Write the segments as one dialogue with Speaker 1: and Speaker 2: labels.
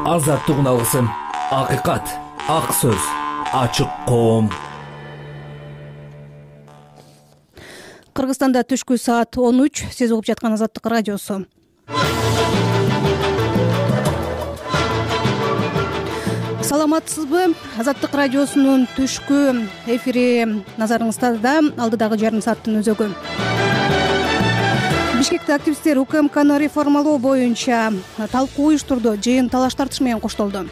Speaker 1: азаттыгын алгысың. Акыйкат, ак сөз, ачык коом.
Speaker 2: Кыргызстанда түшкү саат 13. Сиз угуп жаткан Азаттык радиосу. Саламатсызбы? Азаттык радиосунун түшкү эфири назарыңызда. Алдыдагы жарым сааттын өзөгү. Бишкекте активисттер УКМКны реформалоо боюнча талкуу уюштурду. Жыйын талаш тартыш менен коштолду.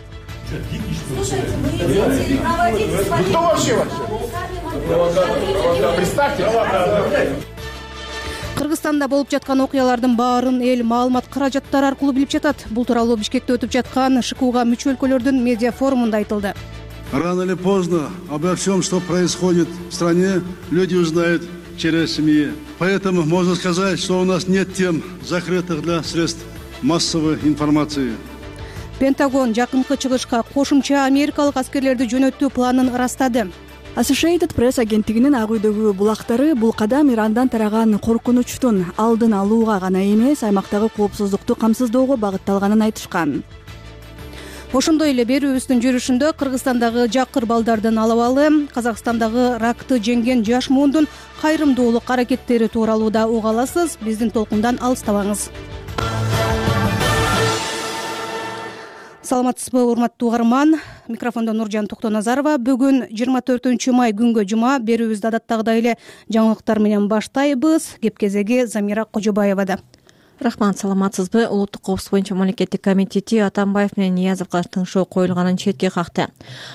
Speaker 2: Кыргызстанда болуп жаткан окуялардын баарын эл маалымат каражаттары аркылуу билип жатат. Бул тууралуу Бишкекте өтүп жаткан ШКУга мүчө өлкөлөрдүн медиа форумунда айтылды.
Speaker 3: Рано или поздно обо всем, что происходит в стране, люди узнают через СМИ. Поэтому можно сказать, что у нас нет тем, закрытых для средств массовой информации.
Speaker 2: Пентагон жакынкы чыгышка кошумча америкалык аскерлерди жөнөтүү планын ырастады.
Speaker 4: Associated Press агенттигинин ак үйдөгү булактары бул кадам Ирандан тараган коркунучтун алдын алууга гана эмес, аймактагы коопсуздукту камсыздоого багытталганын айтышкан.
Speaker 2: Ошондой эле берүүбүздүн жүрүшүндө Кыргызстандагы жакыр балдардын алабалы, Казакстандагы ракты жеңген жаш муундун кайрымдуулук аракеттери тууралуу да уга аласыз. Биздин толкундан алыстабаңыз. Саламатсызбы, урматтуу угарман. Микрофондо Нуржан Токтоназарова. Бүгүн 24 май күнгө жума. Берүүбүздү адаттагыдай эле жаңылыктар менен баштайбыз. Кеп кезеги Замира Кожобаевада.
Speaker 5: Рахмат, саламатсызбы? Улуттук коопсуздук боюнча мамлекеттик комитети Атамбаев менен Ниязовго тыңшоо коюлганын четке какты.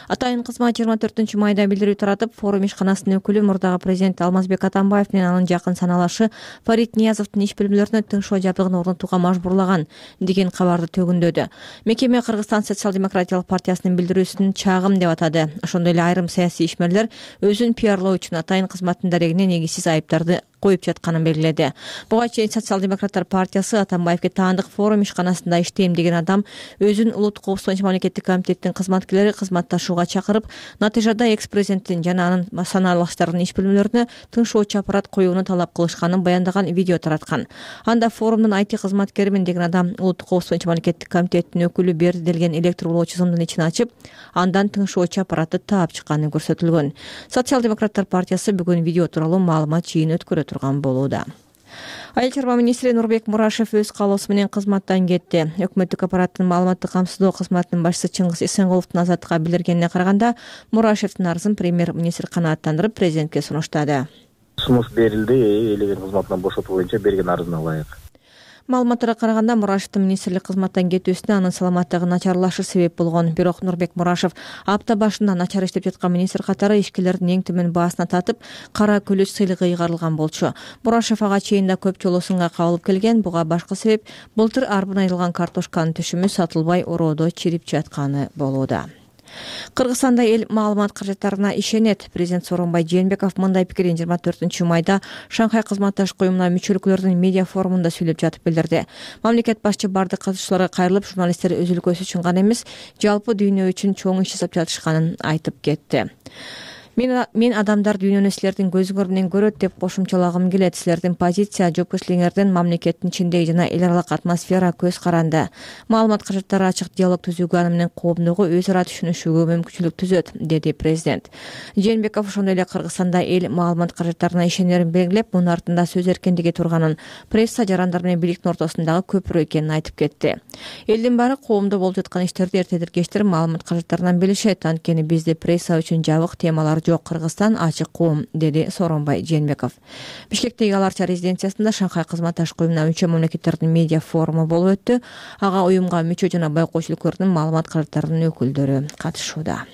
Speaker 5: Атайын кызмат 24 майда билдирүү таратып, форум ишканасынын өкүлү мурдагы президент Алмазбек Атамбаев менен анын жакын саналашы Фарид Ниязовдун иш билимлеринө тыңшоо жабдыгын орнотууга мажбурлаган деген кабарды төгүндөдү. Мекеме Кыргызстан социал-демократиялык партиясынын билдирүүсүн чагым деп атады. Ошондой эле айрым саясий ишмерлер өзүн пиарлоо үчүн атайын кызматтын дарегине негизсиз айыптарды коюп жатканын белгиледи. Буга чейин социал-демократтар партиясы Атамбаевге таандык форум ишканасында иштейм деген адам өзүн улуттук коопсуздук боюнча мамлекеттик комитеттин кызматкерлери кызматташууга чакырып, натыйжада экс-президенттин жана анын санаалаштарынын иш билимлерине тыңшоочу аппарат коюуну талап кылышканын баяндаган видео тараткан. Анда форумдун IT кызматкеримин деген адам улуттук коопсуздук боюнча мамлекеттик комитеттин өкүлү берди делген электр улоочу сымдын ичин ачып, андан тыңшоочу аппаратты таап чыкканы көрсөтүлгөн. Социал-демократтар партиясы бүгүн видео тууралуу маалымат жыйын өткөрө турган болууда. Айыл чарба министри Нурбек Мурашев өз каалоосу менен кызматтан кетти. Өкмөттүк аппараттын маалыматтык камсыздоо кызматынын башчысы Чыңгыз Эсенголовдун азаттыкка билдиргенине караганда, Мурашевдин арызын премьер-министр канааттандырып, президентке сунуштады.
Speaker 6: Сунуш берилди, ээлеген кызматынан бошотуу боюнча берген арызына ылайык.
Speaker 5: Маалыматтарга караганда, Мурашевдин министрлик кызматтан кетүүсүнө анын саламаттыгы начарлашы себеп болгон. Бирок Нурбек Мурашев апта башында начар иштеп жаткан министр катары ишкерлердин эң төмөн баасына татып, кара көлөч сыйлыгы ыйгарылган болчу. Мурашев ага чейин да көп жолу сынга кабылып келген. Буга башкы себеп былтыр арбын айрылган картошканын түшүмү сатылбай ороодо чирип жатканы болууда. Кыргызстанда эл маалымат каражаттарына ишенет. Президент Сооронбай Жээнбеков мындай пикирин 24 майда Шанхай кызматташ коюмуна мүчө өлкөлөрдүн медиа форумунда сүйлөп жатып билдирди. Мамлекет башчы бардык катышуучуларга кайрылып, журналисттер өз өлкөсү үчүн гана эмес, жалпы дүйнө үчүн чоң иш жасап жатышканын айтып кетти. Мен адамдар дүйнөнү силердин көзүңөр менен көрөт деп кошумчалагым келет. Силердин позиция, жоопкерчилигиңердин мамлекеттин ичиндеги жана эл аралык атмосфера көз каранды. Маалымат каражаттары ачык диалог түзүүгө, аны менен коомдогу өз ара түшүнүшүүгө мүмкүнчүлүк түзөт, деди президент. Жээнбеков ошондой эле Кыргызстанда эл маалымат каражаттарына ишенерин белгилеп, мунун артында сөз эркиндиги турганын, пресса жарандар менен бийликтин ортосундагы көпүрө экенин айтып кетти. Элдин баары коомдо болуп жаткан иштерди эртедир кечтир маалымат каражаттарынан билишет. Анткени бизде пресса үчүн жабык темалар жок. Кыргызстан ачык коом, деди Сооронбай Жээнбеков. Бишкектеги Аларча резиденциясында Шанхай кызматташ коюмуна мүчө мамлекеттердин медиа форуму болуп өттү. Ага уюмга мүчө жана байкоочу өлкөлөрдүн маалымат каражаттарынын өкүлдөрү катышууда.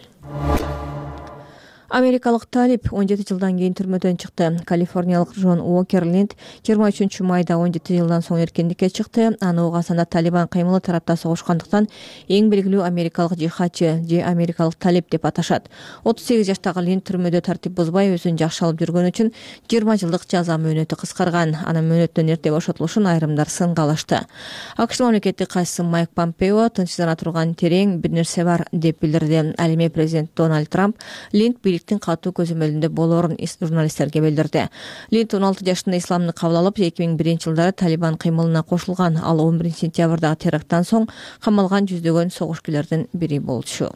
Speaker 5: Америкалык талип 17 жылдан кийин түрмөдөн чыкты. Калифорниялык Джон Уокер Линд 23 майда 17 жылдан соң эркиндикке чыкты. Аны Угандада Талибан кыймылы тарапта согушкандыктан эң белгилүү америкалык жихадчы же америкалык талип деп аташат. 38 жаштагы Линд түрмөдө тартип бузбай өзүн жакшы алып жүргөн үчүн 20 жылдык жаза мөөнөтү кыскарган. Анын мөөнөттөн эрте бошотулушун айрымдар сынга алышты. АКШ мамлекеттик катчысы Майк Помпео тынчсыздана турган терең бир нерсе бар деп билдирди. Ал эми президент Дональд Трамп Линд бийликтин катуу көзөмөлүндө болоорун журналисттерге билдирди. Линд 16 жашында исламды кабыл алып, 2001-жылдары Талибан кыймылына кошулган. Ал 11-сентябрдагы теракттан соң камалган жүздөгөн согушкүлөрдүн бири болчу.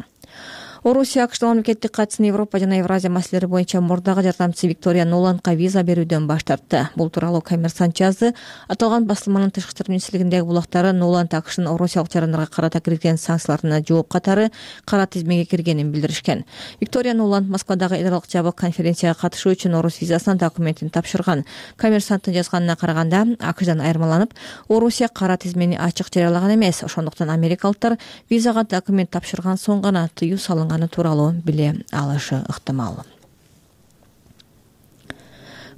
Speaker 5: Орусия АКШдын мамлекеттик катчысын Европа жана Евразия маселелери боюнча мурдагы жардамчысы Виктория Нуландга виза берүүдөн баш тартты. Бул тууралуу Коммерсант жазды. Аталган басылманын тышкы иштер министрлигиндеги булактары Нуланд АКШнын орусиялык жарандарга карата киргизген санкцияларына жооп катары кара тизмеге киргенин билдиришкен. Виктория Нуланд Москвадагы эл аралык жабык конференцияга катышуу үчүн орус визасына документин тапшырган. Коммерсанттын жазганына караганда, АКШдан айырмаланып, Орусия кара тизмени ачык жарыялаган эмес. Ошондуктан америкалыктар визага документ тапшырган соң гана тыюу салынганы тууралуу биле алышы ыктымал.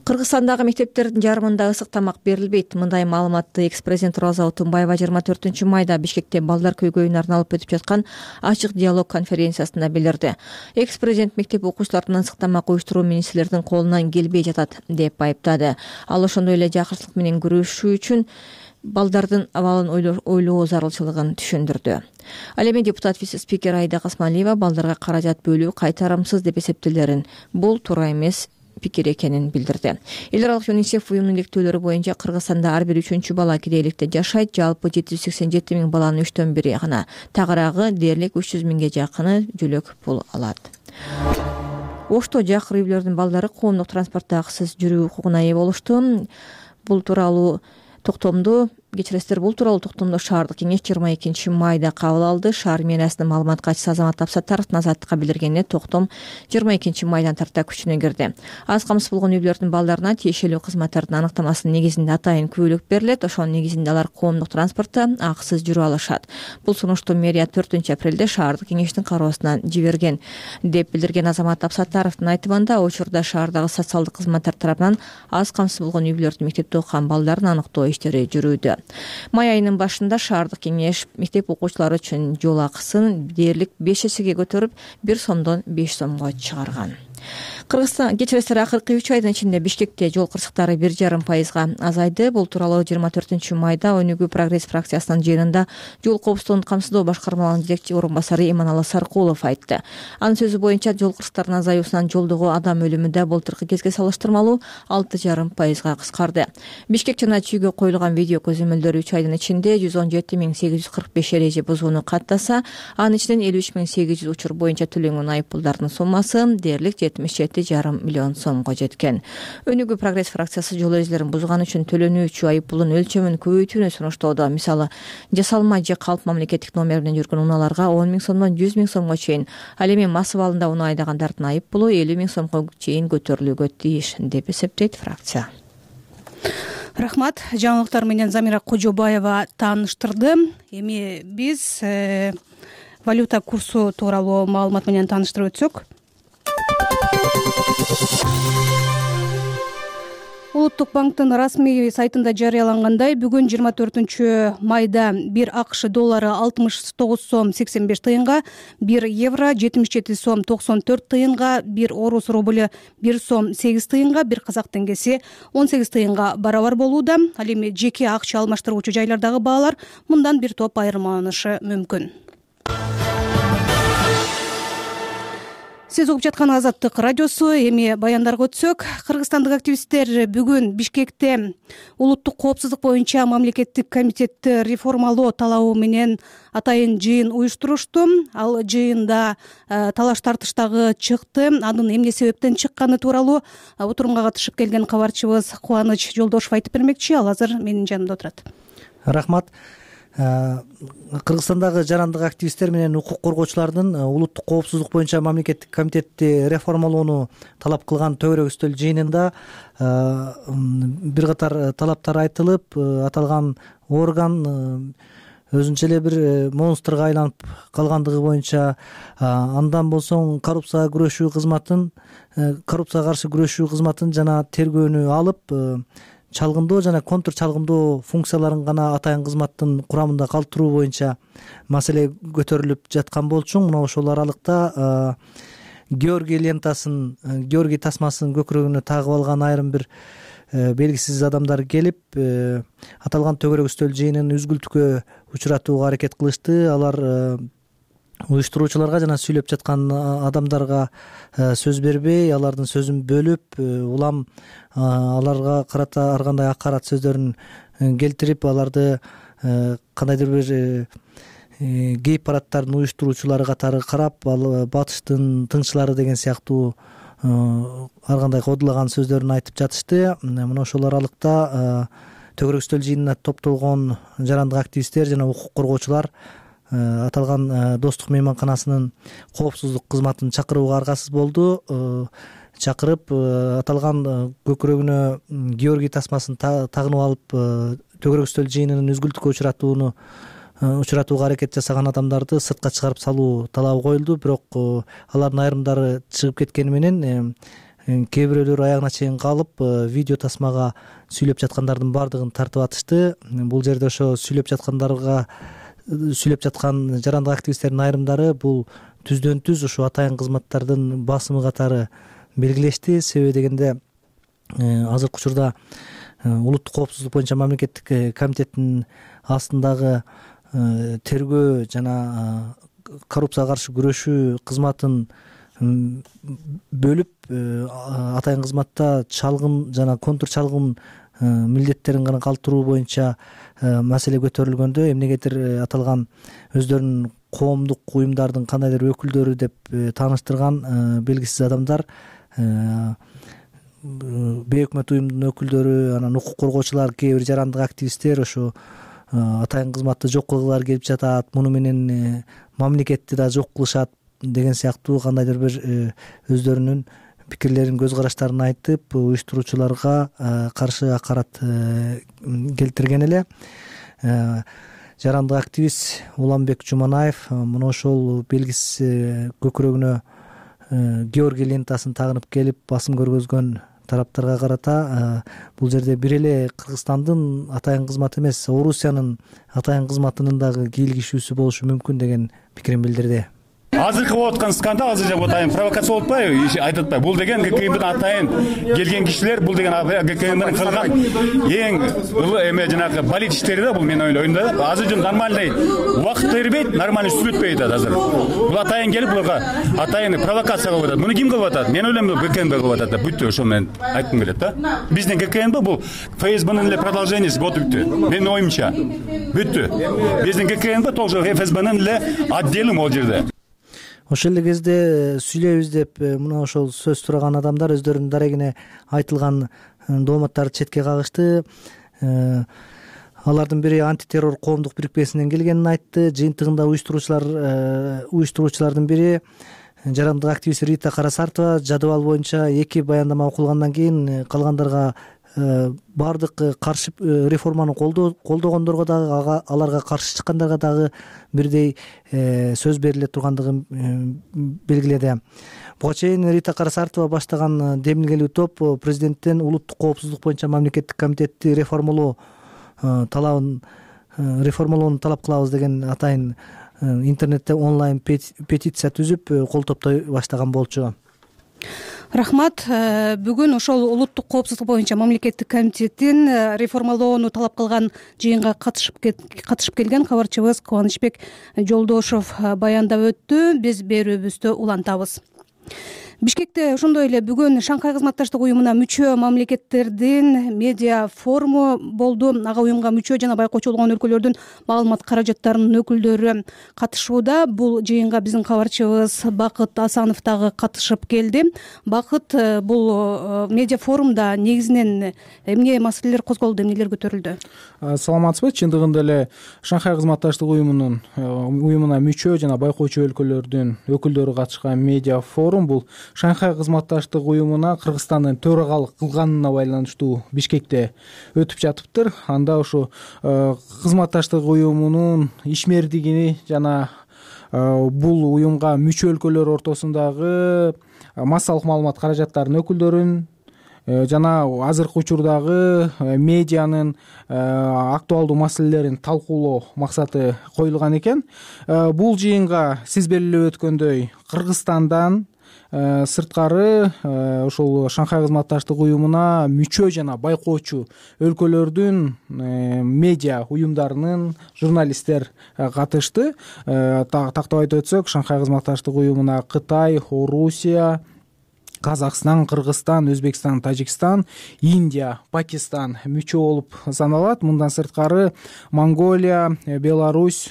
Speaker 5: Кыргызстандагы мектептердин жарымында ысык тамак берилбейт. Мындай маалыматты экс-президент Роза Отунбаева 24-майда Бишкекте балдар көйгөйүнө арналып өтүп жаткан ачык диалог конференциясында билдирди. Экс-президент мектеп окуучуларынын ысык тамак уюштуруу министрлердин колунан келбей жатат деп айыптады. Ал ошондой эле жакырсыздык менен күрөшүү үчүн балдардын абалын ойлоо зарылчылыгын түшүндүрдү. Ал эми депутат вице-спикер Айда Касмалиева балдарга каражат бөлүү кайтарымсыз деп эсептелерин, бул туура эмес пикир экенин билдирди. Эл аралык ЮНИСЕФ уюмунун иликтөөлөрү боюнча Кыргызстанда ар бир 3-чү бала кедейликте жашайт. Жалпы 787 миң баланын 3төн 1 гана, тагыраагы дээрлик 300 миңге жакыны жөлөк пул алат. Ошто жакыр үйлөрдүн балдары коомдук транспортто акысыз жүрүү укугуна ээ болушту. Бул тууралуу токтомду шаардык кеңеш 22-майда кабыл алды. Шаар мэриясынын маалымат катчысы Азамат Абсаттаров Азаттыкка билдиргенде, токтом 22-майдан тарта күчүнө кирди. Аз камсыз болгон үйлөрдүн балдарына тиешелүү кызматтардын аныктамасынын негизинде атайын күбөлүк берилет. Ошонун негизинде алар коомдук транспортто акысыз жүрө алышат. Бул сунушту мэрия 4-апрелде шаардык кеңештин кароосуна жиберген деп билдирген Азамат Абсаттаровдун айтымында, учурда шаардагы социалдык кызматтар тарабынан аз камсыз болгон үйлөрдүн мектепте окуган балдарын аныктоо иштери жүрүүдө. Май айынын башында шаардык кеңеш мектеп окуучулары үчүн жол акысын дээрлик 5 эсеге көтөрүп, 1 сомдон 5 сомго чыгарган. Кыргызстан кечиресиз акыркы 3 айдын ичинде Бишкекте жол кырсыктары 1,5% азайды. Бул тууралуу 24-майда Өнүгүү прогресс фракциясынын жыйынында жол коопсуздугун камсыздоо башкармаларынын жетекчи орун басары Иманалы Саркулов айтты. Анын сөзү боюнча, жол кырсыктарынын азаюусунан жолдогу адам өлүмү да былтыркы кезге салыштырмалуу 6,5% кыскарды. Бишкек жана Чүйгө коюлган видео көзөмөлдөр 3 айдын ичинде 117.845 эреже бузууну каттаса, анын ичинен 53.800 учур боюнча төлөнгөн айып пулдардын суммасы дээрлик 77,5 миллион сомго жеткен. Өнүгүү прогресс фракциясы жол эрежелерин бузган үчүн төлөнүүчү айып пулдун өлчөмүн көбөйтүүнү сунуштоодо. Мисалы, жасалма же калп мамлекеттик номер менен жүргөн унааларга 10 миң сомдон 100 миң сомго чейин, ал эми мас абалында унаа айдагандардын айып пулу 50 миң сомго чейин көтөрүлүүгө тийиш деп эсептейт фракция.
Speaker 2: Рахмат. Жаңылыктар менен Замира Кожобаева тааныштырды. Эми биз валюта курсу тууралуу маалымат менен тааныштырып өтсөк. Улуттук банктын расмий сайтында жарыялангандай, бүгүн 24-майда 1 АКШ доллары 69 сом 85 тыйынга, 1 евро 77 сом 94 тыйынга, 1 орус рубль 1 сом 8 тыйынга, 1 казак теңгеси 18 тыйынга барабар болууда. Ал эми жеке акча алмаштыруучу жайлардагы баалар мындан бир топ айырмаланышы мүмкүн. Сиз угуп жаткан Азаттык радиосу. Эми баяндарга өтсөк, кыргызстандык активисттер бүгүн Бишкекте улуттук коопсуздук боюнча мамлекеттик комитетти реформалоо талабы менен атайын жыйын уюштурушту. Ал жыйында талаш тартыштагы чыкты. Анын эмне себептен чыкканы тууралуу отурумга катышып келген кабарчыбыз Кубаныч Жолдошов айтып бермекчи. Ал азыр менин жанымда отурат.
Speaker 7: Рахмат. Кыргызстандагы жарандык активисттер менен укук коргоочулардын улуттук коопсуздук боюнча мамлекеттик комитетти реформалоону талап кылган төбөрөк үстөл жыйынында бир катар талаптар айтылып, аталган орган өзүнчө эле бир монстрга айланып калгандыгы боюнча, андан болсоң коррупцияга каршы күрөшүү кызматын жана тергөөнү алып, чалгындоо жана контр чалгындоо функцияларын гана атайын кызматтын курамында калтыруу боюнча маселе көтөрүлүп жаткан болчу. Мына ошол аралыкта Георгий лентасын, Георгий тасмасын көкүрөгүнө тагып алган айрым бир белгисиз адамдар келип, аталган төбөрөк үстөл жыйынын үзгүлтүккө учуратууга аракет кылышты. Алар уюштуруучуларга жана сүйлөп жаткан адамдарга сөз бербей, алардын сөзүн бөлүп, улам аларга карата ар кандай акарат сөздөрүн келтирип, аларды кандайдыр бир гей парадтардын уюштуруучулары катары карап, ал батыштын тыңчылары деген сыяктуу ар кандай кодулаган сөздөрүн айтып жатышты. Мына ошол аралыкта төгөрөк үстөл жыйынына топтолгон жарандык активисттер жана укук коргоочулар аталган достук мейманканасынын коопсуздук кызматын чакырууга аргасыз болду. Чакырып, аталган көкүрөгүнө Георгий тасмасын тагынып алып, төгөрөк үстөл жыйынынын үзгүлтүккө учуратууга аракет жасаган адамдарды сыртка чыгарып салуу талабы коюлду. Бирок алардын айрымдары чыгып кеткени менен кээ бирөөлөр аягына чейин калып, видео тасмага сүйлөп жаткандардын баардыгын тартып атышты. Бул жерде ошо сүйлөп жаткан жарандык активисттердин айрымдары бул түздөн түз ушу атайын кызматтардын басымы катары белгилешти. Себеби дегенде азыркы учурда улуттук коопсуздук боюнча мамлекеттик комитеттин астындагы тергөө жана коррупцияга каршы күрөшүү кызматын бөлүп, атайын кызматта чалгын жана контур чалгын милдеттерин гана калтыруу боюнча маселе көтөрүлгөндө, эмнегедир аталган өздөрүнүн коомдук уюмдардын кандайдыр өкүлдөрү деп тааныштырган белгисиз адамдар, бейөкмөт уюмдун өкүлдөрү, анан укук коргоочулар, кээ бир жарандык активисттер ошо атайын кызматты жок кылгылары келип жатат, муну менен мамлекетти да жок кылышат деген сыяктуу кандайдыр бир өздөрүнүн пикирлерин, көз караштарын айтып, уюштуруучуларга каршы акарат келтирген эле. Жарандык активист Уланбек Жуманаев мына ошол белгисиз көкүрөгүнө Георгий лентасын тагынып келип басым көргөзгөн тараптарга карата бул жерде бир эле Кыргызстандын атайын кызматы эмес, Орусиянын атайын кызматынын дагы кийлигишүүсү болушу мүмкүн деген пикирин билдирди.
Speaker 8: Азыркы болуп аткан скандал, азыр атайын провокация болуп атпайбы, айтып атпайбы? Бул деген ГКМдин атайын келген кишилер, бул деген ГКМдин кылган эң эме жанагы болит иштери да, бул мен ойлойм да. Азыр жөн нормальный убакыт бербейт, нормальный сүрөтпөй атат азыр. Бул атайын келип буларга атайын провокация кылып атат. Муну ким кылып атат? Мен ойлойм, ГКМ кылып атат да. Бүттү, ошо менен айткым келет да. Биздин ГКМ бул ФСБнын эле продолжениеси болуп бүттү. Менин оюмча. Бүттү. Биздин ГКМ тоже ФСБнын эле отделы могул жерде.
Speaker 7: Ошол эле кезде сүйлөйбүз деп мына ошол сөз сураган адамдар өздөрүнүн дарегине айтылган дооматтарды четке кагышты. Алардын бири антитеррор коомдук бирикмесинен келгенин айтты. Жыйынтыгында уюштуруучулардын бири жарандык активист Рита Карасартова жадыбал боюнча 2 баяндама окулгандан кийин калгандарга баардык каршы реформаны колдогондорго дагы, аларга каршы чыккандарга дагы бирдей сөз бериле тургандыгын белгиледи. Буга чейин Рита Карасартова баштаган демилгелүү топ президенттен улуттук коопсуздук боюнча мамлекеттик комитетти реформалоону талап кылабыз деген атайын интернетте онлайн петиция түзүп кол топтой баштаган болчу.
Speaker 2: Рахмат. Бүгүн ошол улуттук коопсуздук боюнча мамлекеттик комитеттин реформалоону талап кылган жыйынга катышып келген кабарчыбыз Кубанычбек Жолдошов баяндап өттү. Биз берүүбүздү улантабыз. Бишкекте ошондой эле бүгүн Шанхай кызматташтык уюмуна мүчө мамлекеттердин медиа форуму болду. Ага уюмга мүчө жана байкоочу болгон өлкөлөрдүн маалымат каражаттарынын өкүлдөрү катышууда. Бул жыйынга биздин кабарчыбыз Бакыт Асанов дагы катышып келди. Бакыт, бул медиа форумда негизинен эмне маселелер козголду, эмнелер көтөрүлдү?
Speaker 9: Саламатсызбы? Чындыгында эле Шанхай кызматташтык уюмуна мүчө жана байкоочу өлкөлөрдүн өкүлдөрү катышкан медиа форум бул Шанхай кызматташтык уюмуна Кыргызстандын төрагалык кылганына байланыштуу Бишкекте өтүп жатыптыр. Анда ушу кызматташтык уюмунун ишмердигини жана бул уюмга мүчө өлкөлөр ортосундагы массалык маалымат каражаттарынын өкүлдөрүн жана азыркы учурдагы медианын актуалдуу маселелерин талкуулоо максаты коюлган экен. Бул жыйынга сиз белгилеп өткөндөй Кыргызстандан сырткары ошол Шанхай кызматташтык уюмуна мүчө жана байкоочу өлкөлөрдүн медиа уюмдарынын журналисттер катышты. Тактап айтып өтсөк, Шанхай кызматташтык уюмуна Кытай, Орусия, Казакстан, Кыргызстан, Өзбекстан, Тажикстан, Индия, Пакистан мүчө болуп саналат. Мындан сырткары Монголия, Беларусь,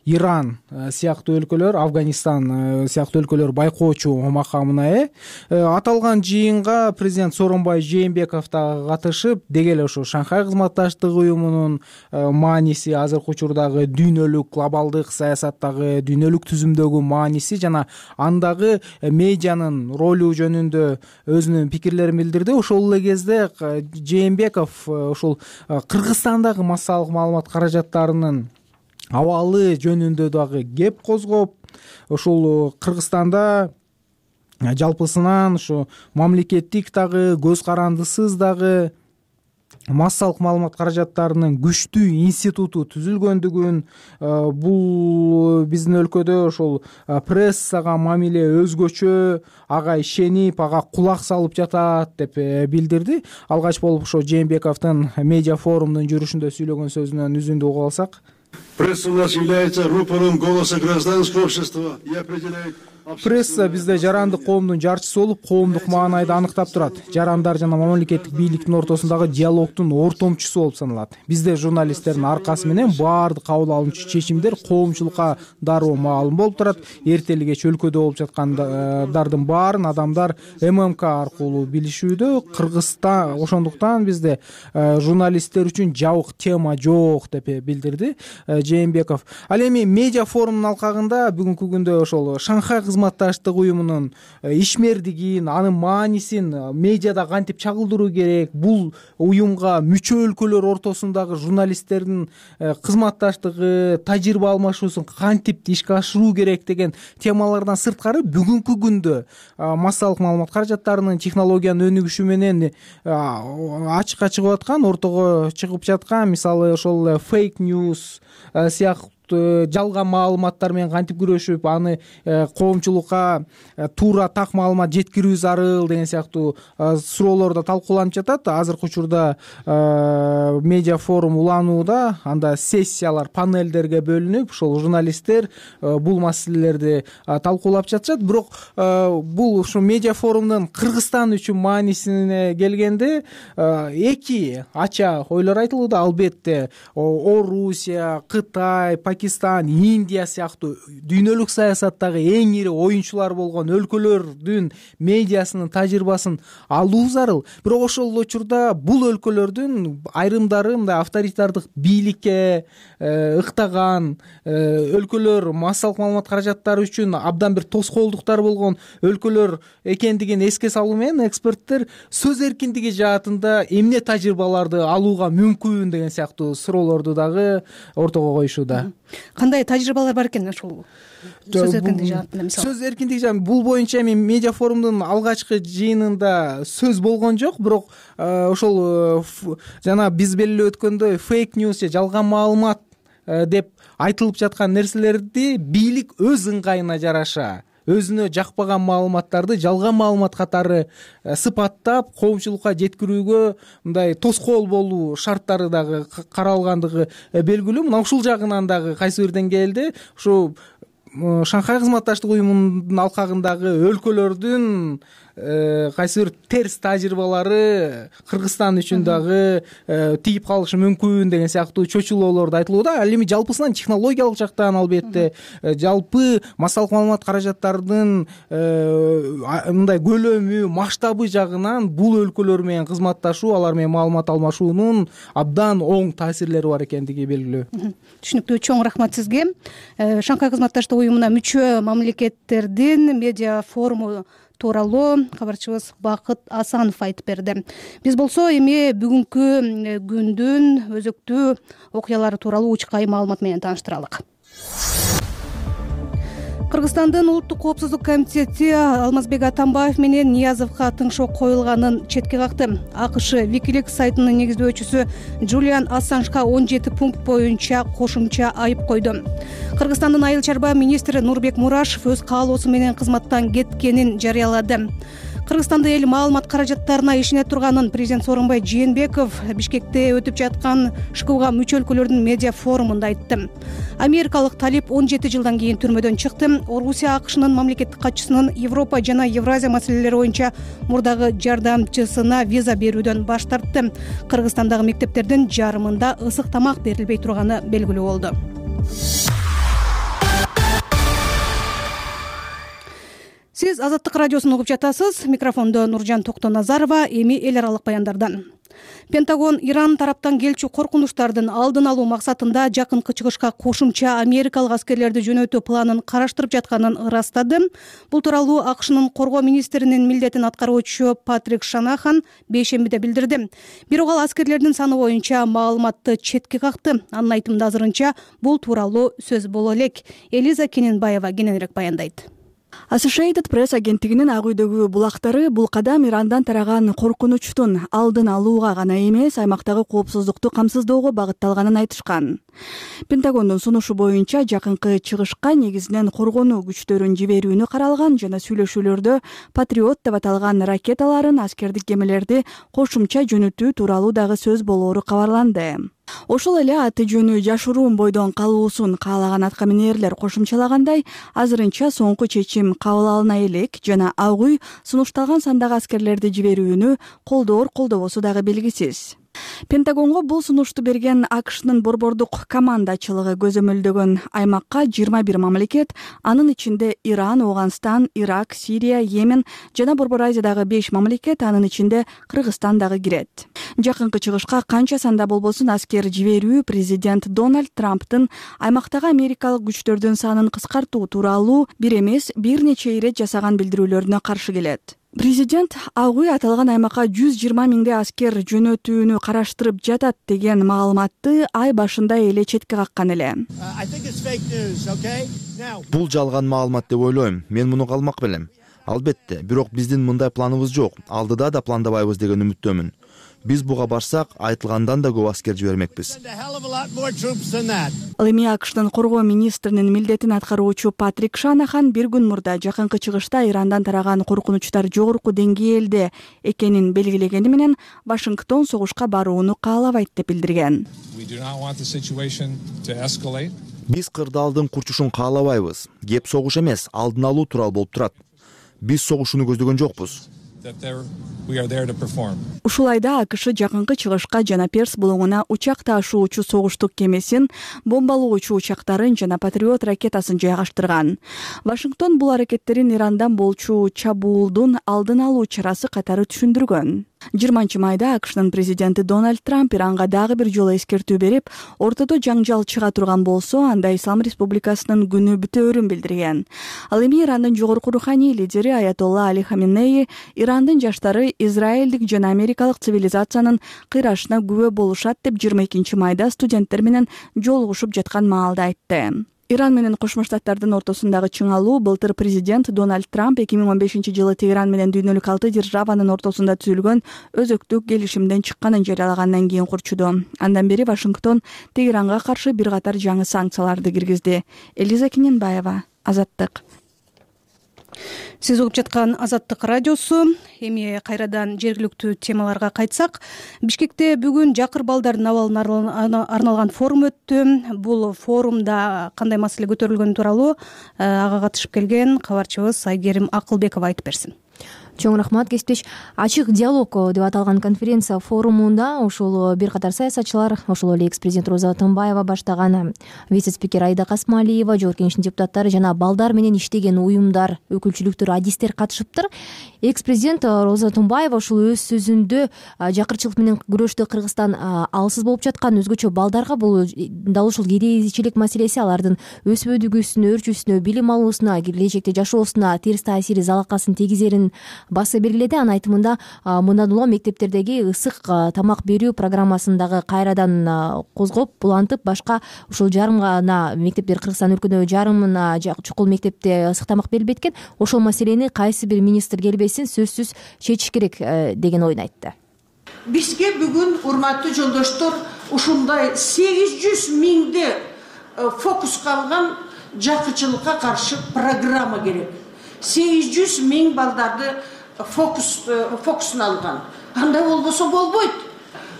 Speaker 9: Иран сыяктуу өлкөлөр, Афганистан сыяктуу өлкөлөр байкоочу макамына ээ. Аталган жыйынга президент Сооронбай Жээнбеков да катышып, деги эле ошо Шанхай кызматташтык уюмунун мааниси, азыркы учурдагы дүйнөлүк глобалдык саясаттагы, дүйнөлүк түзүмдөгү мааниси жана андагы медианын ролу жөнүндө өзүнүн пикирлерин билдирди. Ошол эле кезде Жээнбеков ошол Кыргызстандагы массалык маалымат каражаттарынын абалы жөнүндө дагы кеп козгоп, ошол Кыргызстанда жалпысынан ушу мамлекеттик дагы, көз карандысыз дагы массалык маалымат каражаттарынын күчтүү институту түзүлгөндүгүн, бул биздин өлкөдө ошол прессага мамиле өзгөчө, ага ишенип, ага кулак салып жатат деп билдирди. Алгач болуп ошо Жээнбековдун медиа форумдун жүрүшүндө сүйлөгөн сөзүнөн үзүндү угуп алсак.
Speaker 3: Пресса у нас является рупором голоса гражданского общества и определяет.
Speaker 9: Пресса бизде жарандык коомдун жарчысы болуп, коомдук маанайды аныктап турат. Жарандар жана мамлекеттик бийликтин ортосундагы диалогдун ортомчусу болуп саналат. Бизде журналисттердин аркасы менен баардык кабыл алынчу чечимдер коомчулукка дароо маалым болуп турат. Эртели кеч өлкөдө болуп жаткандардын баарын адамдар ММК аркылуу билишүүдө. Кыргызстан ошондуктан бизде журналисттер үчүн жабык тема жок деп билдирди Жээнбеков. Ал эми медиа форумдун алкагында бүгүнкү күндө ошол Шанхай кызматташтык уюмунун ишмердигин, анын маанисин медиада кантип чагылдыруу керек, бул уюмга мүчө өлкөлөр ортосундагы журналисттердин кызматташтыгы, тажрыйба алмашуусун кантип ишке ашыруу керек деген темалардан сырткары бүгүнкү күндө массалык маалымат каражаттарынын технологиянын өнүгүшү менен ачыкка чыгып аткан, ортого чыгып жаткан, мисалы ошол фейк ньюс сыяктуу жалган маалыматтар менен кантип күрөшүп, аны коомчулукка туура так маалымат жеткирүү зарыл деген сыяктуу суроолор да талкууланып жатат. Азыркы учурда медиа форум уланууда, анда сессиялар, панелдерге бөлүнүп, ошол журналисттер бул маселелерди талкуулап жатышат. Бирок бул ушу медиа форумдун Кыргызстан үчүн маанисине келгенде эки ача ойлор айтылууда. Албетте Орусия, Кытай, Пакистан, Индия сыяктуу дүйнөлүк саясаттагы эң ири оюнчулар болгон өлкөлөрдүн медиасынын тажрыйбасын алуу зарыл. Бирок ошол учурда бул өлкөлөрдүн айрымдары мындай авторитардык бийликке ыктаган өлкөлөр, массалык маалымат каражаттары үчүн абдан бир тоскоолдуктар болгон өлкөлөр экендигин эске салуу менен эксперттер сөз эркиндиги жаатында эмне тажрыйбаларды алууга мүмкүн деген сыяктуу суроолорду дагы ортого коюшууда.
Speaker 2: Кандай тажрыйбалар бар экен ушул сөз эркиндиги жаатында? Мисалы
Speaker 9: сөз эркиндиги жаатында бул боюнча эми медиа форумдун алгачкы жыйынында сөз болгон жок, бирок ошол жана биз белгилеп өткөндөй фейк ньюс же жалган маалымат деп айтылып жаткан нерселерди бийлик өз ыңгайына жараша өзүнө жакпаган маалыматтарды жалган маалымат катары сыпаттап коомчулукка жеткирүүгө мындай тоскоол болуу шарттары дагы каралгандыгы белгилүү. Мына ушул жагынан дагы кайсы бир деңгээлде ушу Шанхай кызматташтык уюмунун алкагындагы өлкөлөрдүн кайсы бир терс тажрыйбалары Кыргызстан үчүн дагы тийип калышы мүмкүн деген сыяктуу чочулоолор да айтылууда. Ал эми жалпысынан технологиялык жактан албетте жалпы массалык маалымат каражаттарынын мындай көлөмү, масштабы жагынан бул өлкөлөр менен кызматташуу, алар менен маалымат алмашуунун абдан оң таасирлери бар экендиги белгилүү.
Speaker 2: Түшүнүктүү, чоң рахмат сизге. Шанхай кызматташтык уюмуна мүчө мамлекеттердин медиа форуму тууралуу кабарчыбыз Бакыт Асанов айтып берди. Биз болсо эми бүгүнкү күндүн өзөктүү окуялары тууралуу учкай маалымат менен тааныштыралык. Кыргызстандын улуттук коопсуздук комитети Алмазбек Атамбаев менен Ниязовго тыңшоо коюлганын четке какты. АКШ Wikileaks сайтынын негиздөөчүсү Джулиан Ассанжга 17 пункт боюнча кошумча айып койду. Кыргызстандын айыл чарба министри Нурбек Мурашев өз каалоосу менен кызматтан кеткенин жарыялады. Кыргызстанда эл маалымат каражаттарына ишене турганын президент Сооронбай Жээнбеков Бишкекте өтүп жаткан ШКУга мүчө өлкөлөрдүн медиа форумунда айтты. Америкалык талип 17 жылдан кийин түрмөдөн чыкты. Орусия АКШнын мамлекеттик катчысынын Европа жана Евразия маселелери боюнча мурдагы жардамчысына виза берүүдөн баш тартты. Кыргызстандагы мектептердин жарымында ысык тамак берилбей турганы белгилүү болду. Сиз Азаттык радиосун угуп жатасыз. Микрофондо Нуржан Токтоназарова. Эми эл аралык баяндардан. Пентагон Иран тараптан келчү коркунучтардын алдын алуу максатында жакынкы чыгышка кошумча америкалык аскерлерди жөнөтүү планын караштырып жатканын ырастады. Бул тууралуу АКШнын коргоо министринин милдетин аткаруучу Патрик Шанахан бейшембиде билдирди. Бирок ал аскерлердин саны боюнча маалыматты четке какты. Анын айтымында азырынча бул тууралуу сөз боло элек. Элиза Кененбаева кененирээк баяндайт.
Speaker 4: Associated Press агенттигинин ак үйдөгү булактары бул кадам Ирандан тараган коркунучтун алдын алууга гана эмес, аймактагы коопсуздукту камсыздоого багытталганын айтышкан. Пентагондун сунушу боюнча жакынкы чыгышка негизинен коргонуу күчтөрүн жиберүүнү каралган жана сүйлөшүүлөрдө Патриот деп аталган ракеталарын, аскердик кемелерди кошумча жөнөтүү тууралуу дагы сөз болоору кабарланды. Ошол эле аты жөнү жашыруун бойдон калуусун каалаган аткаминерлер кошумчалагандай, азырынча соңку чечим кабыл алына элек жана ак үй сунушталган сандагы аскерлерди жиберүүнү колдобосу дагы белгисиз. Пентагонго бул сунушту берген АКШнын борбордук командачылыгы көзөмөлдөгөн аймакка 21 мамлекет, анын ичинде Иран, Афганистан, Ирак, Сирия, Йемен жана Борбор Азиядагы 5 мамлекет, анын ичинде Кыргызстан дагы кирет. Жакынкы чыгышка канча санда болбосун аскер жиберүү президент Дональд Трамптын аймактагы америкалык күчтөрдүн санын кыскартуу тууралуу бир эмес, бир нече ирет жасаган билдирүүлөрүнө каршы келет. Президент ак үй аталган аймакка 120 миңдей аскер жөнөтүүнү караштырып жатат деген маалыматты ай башында эле четке каккан эле.
Speaker 10: Бул жалган маалымат деп ойлойм. Мен муну калмак белем. Албетте, бирок биздин мындай планыбыз жок. Алдыда да пландабайбыз деген үмүттөмүн. Биз буга барсак, айтылгандан да көп аскер жибермекпиз.
Speaker 4: Ал эми АКШнын коргоо министринин милдетин аткаруучу Патрик Шанахан бир күн мурда жакынкы чыгышта Ирандан тараган коркунучтар жогорку деңгээлде экенин белгилегени менен Вашингтон согушка барууну каалабайт деп билдирген.
Speaker 10: Биз кырдаалдын курчушун каалабайбыз. Кеп согуш эмес, алдын алуу тууралуу болуп турат. Биз согушууну көздөгөн жокпуз.
Speaker 4: Ушул айда АКШ жакынкы чыгышка жана Перс булуңуна учак ташуучу согуштук кемесин, бомбалоочу учактарын жана Патриот ракетасын жайгаштырган. Вашингтон бул аракеттерин Ирандан болчу чабуулдун алдын алуу чарасы катары түшүндүргөн. 20-майда АКШнын президенти Дональд Трамп Иранга дагы бир жолу эскертүү берип, ортодо жаңжал чыга турган болсо, анда Ислам Республикасынын күнү бүтөөрүн билдирген. Ал эми Ирандын жогорку руханий лидери Аятолла Али Хаменеи Ирандын жаштары израилдик жана америкалык цивилизациянын кыйрашына күбө болушат деп 22-майда студенттер менен жолугушуп жаткан маалда айтты. Иран менен Кошмо Штаттардын ортосундагы чыңалуу былтыр президент Дональд Трамп 2015-жылы Тегеран менен дүйнөлүк 6 державанын ортосунда түзүлгөн өзөктүк келишимден чыкканын жарыялагандан кийин курчуду. Андан бери Вашингтон Тегеранга каршы бир катар жаңы санкцияларды киргизди. Элиза Кененбаева, Азаттык.
Speaker 2: Сиз угуп жаткан Азаттык радиосу. Эми кайрадан жергиликтүү темаларга кайтсак, Бишкекте бүгүн жакыр балдардын абалына арналган форум өттү. Бул форумда кандай маселе көтөрүлгөнү тууралуу ага катышып келген кабарчыбыз Айгерим Акылбекова айтып берсин.
Speaker 5: Чоң рахмат, кесиптеш. Ачык диалог деп аталган конференция форумунда ошол бир катар саясатчылар, ошол эле экс-президент Роза Атамбаева баштаган вице-спикер Айда Касмалиева, жогорку кеңештин депутаттары жана балдар менен иштеген уюмдар, өкүлчүлүктөр, адистер катышыптыр. Экс-президент Роза Атамбаева ушул өз сөзүндө жакырчылык менен күрөштө Кыргызстан алсыз болуп жаткан, өзгөчө балдарга бул дал ушул кедейчилик маселеси алардын өсүп өдүгүүсүнө, өрчүүсүнө, билим алуусуна, келечекте жашоосуна терс таасири, залакасын тийгизерин
Speaker 11: баса бергиледи. Анын айтымында мындан улам мектептердеги ысык тамак берүү программасын дагы кайрадан козгоп булантып, башка ушул жарым гана мектептер, Кыргызстан өлкөдө жарымына чукул мектепте ысык тамак берилбейт экен. Ошол маселени кайсы бир министр келбесин сөзсүз чечиш керек деген ойун айтты.
Speaker 12: Бизге бүгүн урматтуу жолдоштор ушундай 800 миңди фокуска алган жакырчылыкка каршы программа керек. 800 миң балдарды фокусуна алган. Андай болбосо болбойт.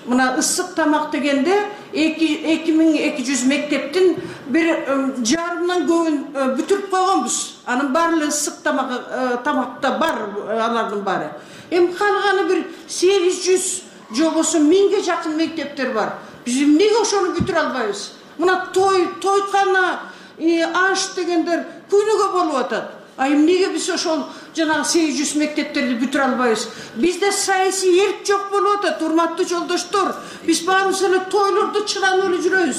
Speaker 12: Мына ысык тамак дегенде 2200 мектептин бир жарымдан көбүн бүтүрүп койгонбуз. Анын баары ысык тамакта бар, алардын баары. Эми калганы бир 800 жобосу 1000ге жакын мектептер бар. Биз эмнеге ошону бүтүрө албайбыз? Мына тойткана, аш дегендер күнүгө болуп атат. Эмнеге биз ошол жанагы 800 мектептерди бүтүрө албайбыз? Бизде саясий эрк жок болуп атат, урматтуу жолдоштор. Биз баарыбыз эле тойлордо чыданып эле жүрөбүз.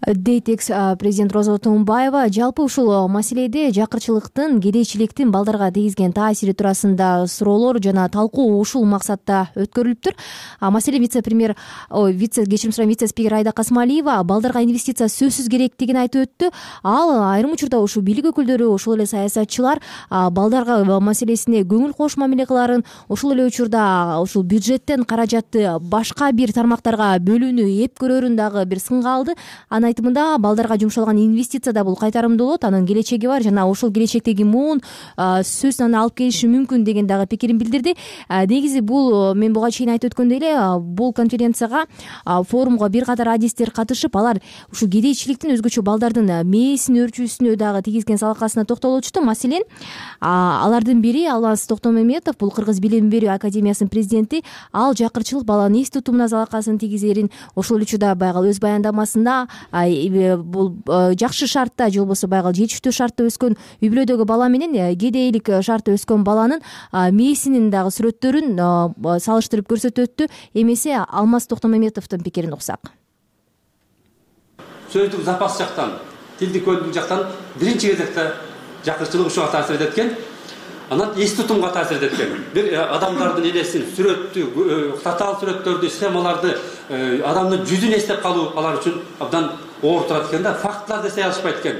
Speaker 11: Дейт экс-президент Роза Тумбаева. Жалпы ушул маселеде жакырчылыктын, кедейчиликтин балдарга тийгизген таасири туурасында суроолор жана талкуу ушул максатта өткөрүлүптүр. Маселен, вице-спикер Айда Касымалиева балдарга инвестиция сөзсүз керектигин айтып өттү. Ал айрым учурда ушул бийлик өкүлдөрү, ошол эле саясатчылар балдарга маселесине көңүл кош мамиле кыларын, ошол эле учурда ушул бюджеттен каражатты башка бир тармактарга бөлүүнү эп көрөрүн дагы бир сынга алды. Анын айтымында балдарга жумшалган инвестиция да бул кайтарымдуу болот, анын келечеги бар жана ошол келечектеги муун сөз аны алып келиши мүмкүн деген дагы пикирин билдирди. Негизи бул, мен буга чейин айтып өткөндөй эле, бул конференцияга, форумга бир катар адистер катышып, алар ушул кедейчиликтин өзгөчө балдардын мээсин өрчүүсүнө дагы тийгизген салакасына токтолуп өтүштү. Маселен, алардын бири Алмаз Токтомаметов, бул Кыргыз билим берүү академиясынын президенти. Ал жакырчылык баланын эс тутумуна залакасын тийгизерин, ошол учурда байгал өз баяндамасында бул жакшы шартта же болбосо байгал жетиштүү шартта өскөн үй бүлөдөгү бала менен кедейлик шартта өскөн баланын мээсинин дагы сүрөттөрүн салыштырып көрсөтүп өттү. Эмесе Алмаз Токтомаметовдун пикирин уксак.
Speaker 13: Сөздүк запас жактан, тилдик көндүк жактан биринчи кезекте жакырчылык ушуга таасир эткен. Анан эс тутумга таасир эткен. Бир адамдардын элесин, сүрөттү, татаал сүрөттөрдү, схемаларды, адамдын жүзүн эстеп калуу алар үчүн абдан оор турат экен да, фактыларды эстей алышпайт экен.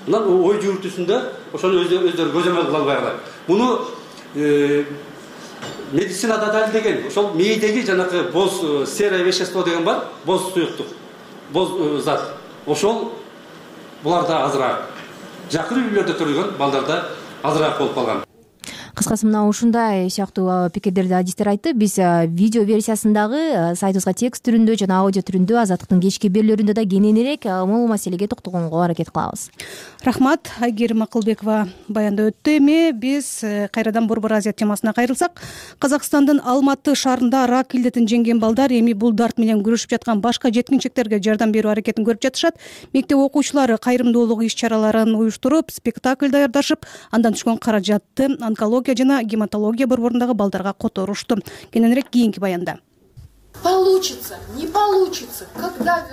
Speaker 13: Анан ой жүгүртүүсүндө ошону өздөрү көзөмөл кыла албайлар. Муну медицинада далилдеген, ошол мээдеги жанагы боз серое вещество деген бар, боз суюктук, боз зат. Ошол буларда азыраак. Жакыр үй бүлөлөрдө төрөлгөн балдарда азыраак болуп калган.
Speaker 11: Кыскасы мына ушундай сыяктуу пикирлерди адистер айтты. Биз видео версиясындагы сайтыбызга текст түрүндө жана аудио түрүндө Азаттыктын кечки берүүлөрүндө да кененирээк бул маселеге токтогонго аракет кылабыз.
Speaker 2: Рахмат, Айгерим Акылбекова баяндап өттү. Эми биз кайрадан Борбор Азия темасына кайрылсак, Казакстандын Алматы шаарында рак илдетин жеңген балдар эми бул дарт менен күрөшүп жаткан башка жеткинчектерге жардам берүү аракетин көрүп жатышат. Мектеп окуучулары кайрымдуулук иш-чараларын уюштуруп, спектакль даярдашып, андан түшкөн каражатты онкология жана гематология борборундагы балдарга которушту. Кененирээк кийинки баянда.
Speaker 14: Получится, не получится.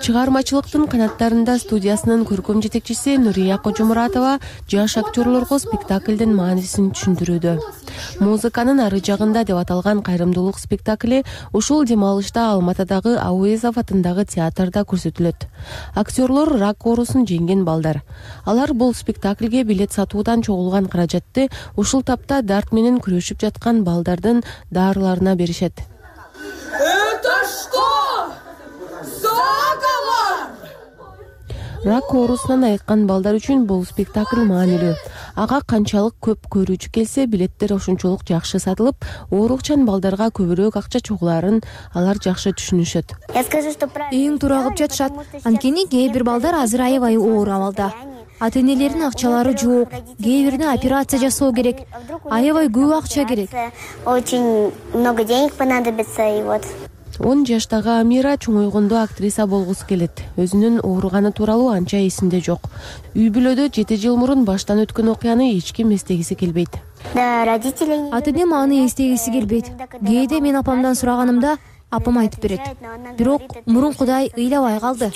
Speaker 15: Чыгармачылыктын канаттарында студиясынын көркөм жетекчиси Нурия Кожомуратова жаш актерлорго спектаклдин маанисин түшүндүрүүдө. Музыканын ары жагында деп аталган кайрымдуулук спектакли ушул дем алышта Алматыдагы Ауезов атындагы театрда көрсөтүлөт. Актерлор рак оорусун жеңген балдар. Алар бул спектаклге билет сатуудан чогулган каражатты ушул тапта дарт менен күрөшүп жаткан балдардын дарыларына беришет.
Speaker 14: Это что? Заговор!
Speaker 15: Рак оорусунан айыккан балдар үчүн бул спектакль маанилүү. Ага канчалык көп көрүүчү келсе, билеттер ошончолук жакшы сатылып, оорукчан балдарга көбүрөөк акча чогулаарын алар жакшы түшүнүшөт.
Speaker 11: Эң туура кылып жатышат. Анткени кээ бир балдар азыр аябай оор абалда. Ата-энелердин акчалары жок, кээ бирине операция жасоо керек, аябай көп акча керек.
Speaker 16: Очень много денег понадобится, и вот.
Speaker 15: 10 жаштагы Амира чоңойгондо актриса болгусу келет. Өзүнүн ооруганы тууралуу анча эсинде жок. Үй бүлөдө 7 жыл мурун баштан өткөн окуяны эч ким эстегиси келбейт.
Speaker 16: Да, родители.
Speaker 11: Ата-энем аны эстегиси келбейт. Кээде мен апамдан сураганымда, апам айтып берет. Бирок мурункудай ыйлабай калды.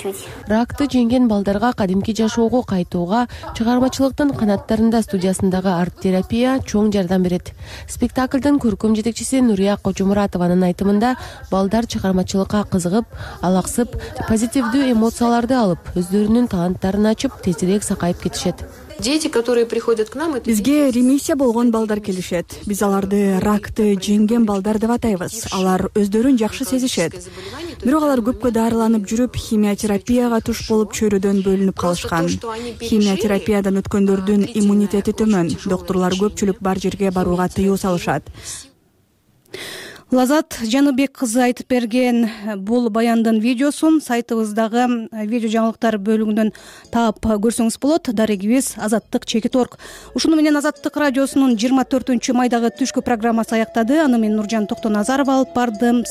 Speaker 15: Ракты жеңген балдарга кадимки жашоого кайтууга чыгармачылыктын канаттарында студиясындагы арт терапия чоң жардам берет. Спектаклдын көркөм жетекчиси Нурия Кожомуратованын айтымында балдар чыгармачылыкка кызыгып, алаксып, позитивдүү эмоцияларды алып, өздөрүнүн таланттарын ачып, тезирээк сакайып кетишет.
Speaker 14: Дети, которые приходят к нам,
Speaker 4: бизге ремиссия болгон балдар келишет. Биз аларды ракты жеңген балдар деп атайбыз. Алар өздөрүн жакшы сезишет. Бирок алар көпкө дарыланып жүрүп, химиотерапияга туш болуп чөйрөдөн бөлүнүп калышкан. Химиотерапиядан өткөндөрдүн иммунитети төмөн. Доктурлар көпчүлүк бар жерге барууга тыюу салышат.
Speaker 2: Лазат Жаныбек кызы айтып берген бул баяндын видеосун сайтыбыздагы видео жаңылыктар бөлүгүнөн таап көрсөңүз болот. Дарегибиз Азаттык Чекиторг. Ушуну менен Азаттык радиосунун 24 майдагы түшкү программасы аяктады. Аны мен Нуржан Токтоназарова алып бардым.